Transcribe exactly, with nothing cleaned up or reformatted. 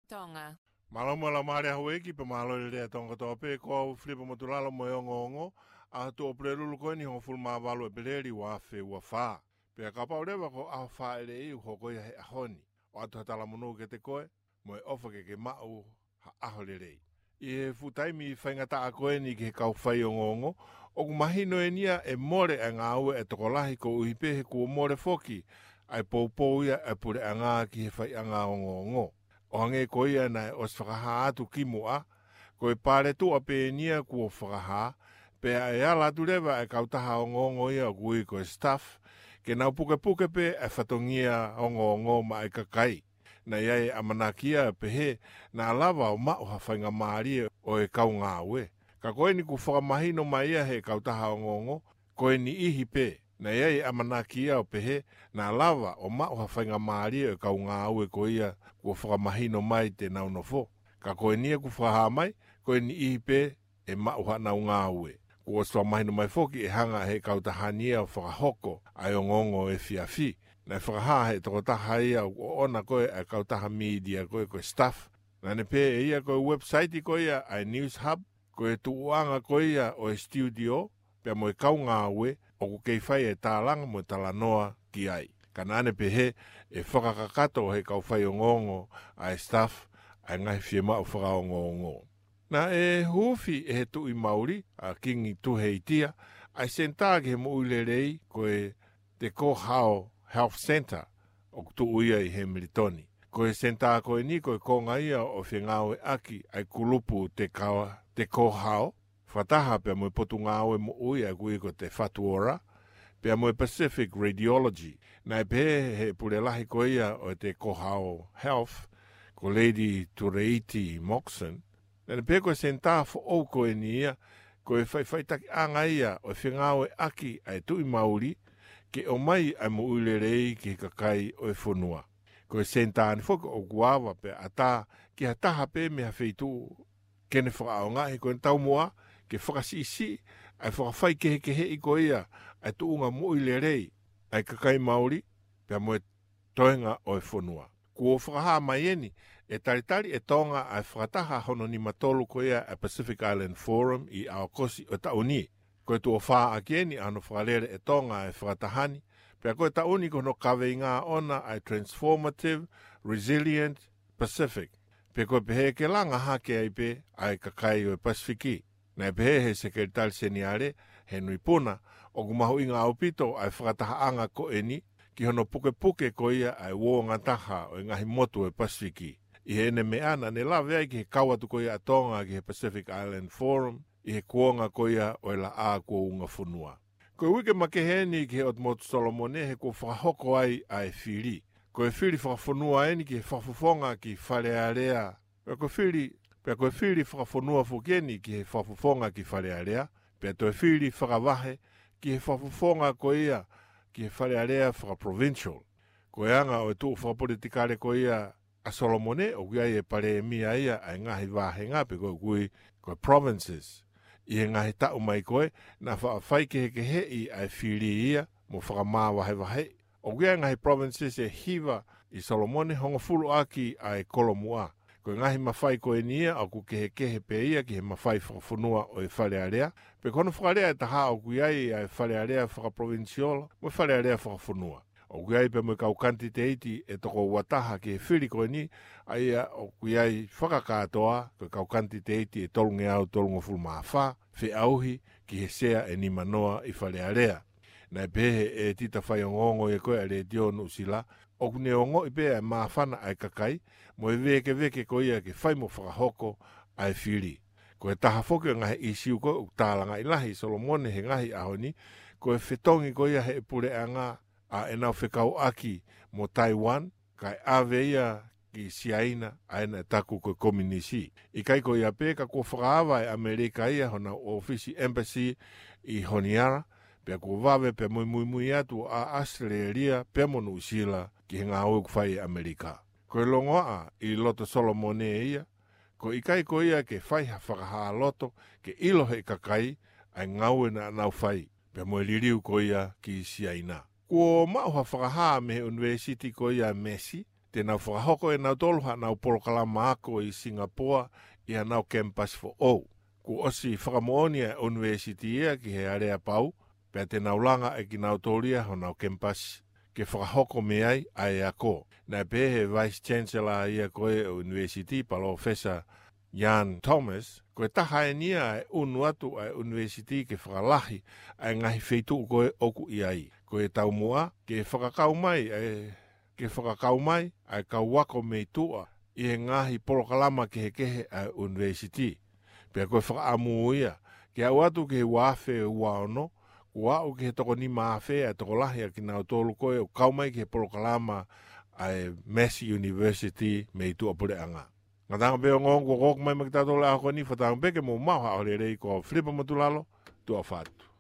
Tonga. Mālō mo e laumālie ʻa houʻeiki pea mālō e lelei ʻa Tonga kotoa pē, ko au Filipa Motulalo mo e ongoongo, ʻaho Tuʻi ʻEpeleli ko eni hongofulu mā valu ʻEpeleli ua afe ua fā. Pea kapau leva ko e ʻaho fāʻeleʻi ʻoku hoko ia he ʻaho ni, ʻoatu ha talamonū kiate koe, mo e ʻofa ke ke maʻu ha ʻaho lelei. ʻI he fuʻu taimi faingataʻa ko eni ki he kau faiongoongo, ʻoku mahino eni ia ʻe mole ʻa e ngāue ʻa e tokolahi koeʻuhi pē he kuo mole foki ʻa e poupou ia ʻa e puleʻanga ki he faiʻanga ongoongo. ʻO hangē ko ia naʻe ʻosi fakahā atu kimuʻa, ko e paletuʻa pē eni ia kuo fakahā, pea ʻe ala atu leva ʻa e kautaha ongoongo ia ʻoku ui ko e staff, ke nau pukepuke pē ʻa e fatongia ongoongo maʻa e kakai. Naʻe ʻi ai e ʻamanaki ia ʻo pehē naʻa lava ʻo maʻu ha faingamālie ʻo e kau ngāue. Ka ko eni kuo fakamahino mai ia he kautaha ongoongo, ko e niʻihi pē. Naʻe ʻi ai e ʻamanaki ia ʻo pehē naʻa lava ʻo maʻu ha faingamālie ʻo e kau ngāue ko ia kuo fakamahino mai te nau nofo. Ka ko eni ia kuo fakahā mai, ko e niʻihi pē ʻe maʻu haʻanau ngāue. Kuo ʻosi fakamahino mai foki ʻe hanga ʻe he kautaha ni ia ʻo fakahoko ʻa e ongoongo efiafi. Naʻe fakahā ʻe he tokotaha ia ʻoku ʻoʻona ko ē ʻa e kautaha mītia ko ē ko e staff. Naʻa ne pehē ʻe ia ko e website ko ia ʻa e News Hub, ko e tuʻuʻanga ko ia ʻo e studio, pea mo e kau ngāue, ʻoku kei fai e tālanga mo e talanoa ki ai. Ka naʻa ne pehē ʻe fakakakato ʻe he kau faiongoongo ʻa e staff ʻa e ngaahi fiemaʻu fakaongoongo. Naʻe huufi ʻe he Tuʻi Mauli, ʻa Kingi Tuheitia, ʻa e senitā ki he moʻui lelei ko e Te Kohao Health Centre, ʻoku tuʻu ia ʻi Hemilitoni. Ko e senitā ko eni ko e konga ia ʻo e fengāueʻaki ʻa e kulupu Te Ka-, Te Kohao, fakataha pea mo e Potungāue Moʻui ʻa ia ʻoku ui ko e Te Whatu Ora, pea mo e Pacific Radiology. Naʻe pehē ʻe he pule lahi ko ia ʻo e Te Kohao Health, ko Lady Tureiti Moxon, naʻa ne pehē ko e senitā foʻou ko eni ia, ko e faʻifaʻitakiʻanga ia ʻo e fengāueʻaki ʻa e Tuʻi Mauli, ke ʻomai ʻa e moʻui lelei ki he kakai ʻo e fonua. Ko e senitā ni foki ʻoku ava pea ʻatā ki ha taha pē mei ha feituʻu ke ne fakaʻaongaʻi, ko ʻene taumuʻa ke fakasiʻisiʻi ʻa e fakafaikehekeheʻi ko ia ʻa e tuʻunga moʻui lelei ʻa e kakai Mauli, pea mo e toenga ʻo e fonua. Kuo fakahā mai eni ʻe talitali ʻe Tonga ʻa e fakataha hono nima tolu ko ia ʻa e Pacific Island Forum ʻi ʻAokosi ʻo e taʻu ni. Ko e tuʻo fā ʻaki eni ʻa hono fakalele ʻe Tonga ʻa e fakataha ni, pea ko e taʻu ni ko hono kaveinga ʻona ʻa e Transformative Resilient Pacific. Pea ko e pehē ke langa hake ai pē ʻa e kakai ʻo e Pasifiki. Naʻe pehē ʻe he Sekelitali Seniale, Henry Puna, ʻoku mahuʻinga ʻaupito ʻa e fakatahaʻanga ko eni ki hono pukepuke ko ia ʻa e uō ngataha ʻo e ngaahi motu ʻo e Pasifiki. ʻI heʻene meʻa naʻa ne lave ai ki he kau atu ko ia ʻa Tonga ki he Pacific Island Forum, ʻi he kuonga ko ia ʻo e laʻā kuo unga fonua. Ko e uike makehe eni ki he ʻOtu Motu Solomone he kuo fakahoko ai ʻa e fili. Ko e fili fakafonua eni ki he fakafofonga ki Fale Alea. Pea ko e fili, pea ko e fili fakafonua foki eni ki he fakafofonga ki Fale Alea. Pea toe fili fakavahe ki he fakafofonga ko ia ki he Fale Alea fakaprovincial. Ko e anga ʻo e tuʻu fakapolitikale ko ia ʻa Solomone, ʻoku ʻi ai e palēmia ia ʻa e ngaahi vāhenga pe ko e ʻoku ui ko e provinces. ʻI he ngaahi taʻu mai ko ē, naʻa faʻa faikehekeheʻi ʻa e fili ia mo fakamāvahevaheʻi. ʻOku ʻi ai e ngaahi provinces ʻe hiva ʻi Solomone, hongofulu ʻaki ʻa e kolomuʻa. Ko e ngaahi mafai ko eni ia ʻoku kehekehe pē ia ki he mafai fakafonua ʻo e Fale Alea. Pea ko hono fakalea ʻe taha ʻoku ʻi ai ʻa e Fale Alea fakaprovincial mo e Fale Alea fakafonua. ʻOku ʻi ai pea mo e kau kanititeiti ʻe toko ua taha ki he fili ko eni, ʻa ia ʻoku ʻi ai fakakātoa ko e kau kanititeiti ʻe tolungeau tolungofulu mā fā, feʻauhi ki he sea ʻe nima noa ʻi Fale Alea. Naʻe pehē ʻe he ʻētita faiongoongo ia ko ē ʻa e Letiō Nuʻusila, ʻoku ne ongoʻi pē ʻa e māfana ʻa e kakai mo e vēkeveke ko ia ke fai mo fakahoko ʻa e fili. Ko e taha foki ʻo e ngaahi ʻīsiu ko ē ʻoku tālangaʻi lahi ʻe Solomone he ngaahi ʻaho ni, ko e fetongi ko ia ʻe he puleʻanga ʻa ʻenau fekauʻaki mo Taiwan, kae ʻave ia ki Siaina, ʻa ia naʻe taku ko e kominisi. ʻIkai ko ia pē, ka kuo fakaava ʻe ʻAmelika ia honau ʻōfisi embassy ʻi Honiara, pea kuo vave pea mo e muimui atu ʻa ʻAositelēlia pea mo Nuʻusila ki he ngāue ʻoku fai ʻe ʻAmelika. Ko e longoaʻa ʻi loto Solomone ia, ko e ʻikai ko ia ke fai ha fakahā loto ke ʻilo ʻe he kakai ʻa e ngāue naʻa nau fai, pea mo e liliu ko ia ki Siaina. Kuo maʻu ha fakahā mei he ʻunivēsiti ko ia Massey, te nau fakahoko ʻe nautolu haʻanau polokalama ako ʻi Singapoa ʻi haʻanau kemipasi foʻou. Kuo ʻosi fakamoʻoni ʻa e ʻunivēsiti ia ki he aleapau, pea te nau langa ʻe kinautolu ia honau kemipasi ke fakahoko mei ai ʻa e ako. Naʻe pehē ʻe he Vice Chancellor ia ko ē ʻo e ʻunivēsiti, Palōfesa Ian Thomas, ko e taha eni ia ʻa e ʻunu atu ʻa e ʻunivēsiti ke fakalahi ʻa e ngaahi feituʻu ko ē ʻoku ʻi ai. Ko e taumuʻa, ke fakakau mai ʻa e, ke fakakau mai ʻa e kau ako mei tuʻa ʻi he ngaahi polokalama kehekehe ʻa e ʻunivēsiti. Pea ko e fakaʻamu ia, ke aʻu atu ki he ua afe ua ono, kuo aʻu ki he toko nima afe ʻa e tokolahi ʻa kinautolu ko ē ʻoku kau mai ki he polokalama ʻa e Massey University mei tuʻapuleʻanga. Ngataʻanga pē ongoongo kuo ʻoku mai maʻa kitautolu he ʻaho ko eni, fakatauange pē ke mou maʻu ha ʻaho lelei. Ko Filipa Motulalo, tuʻa ʻofa atu.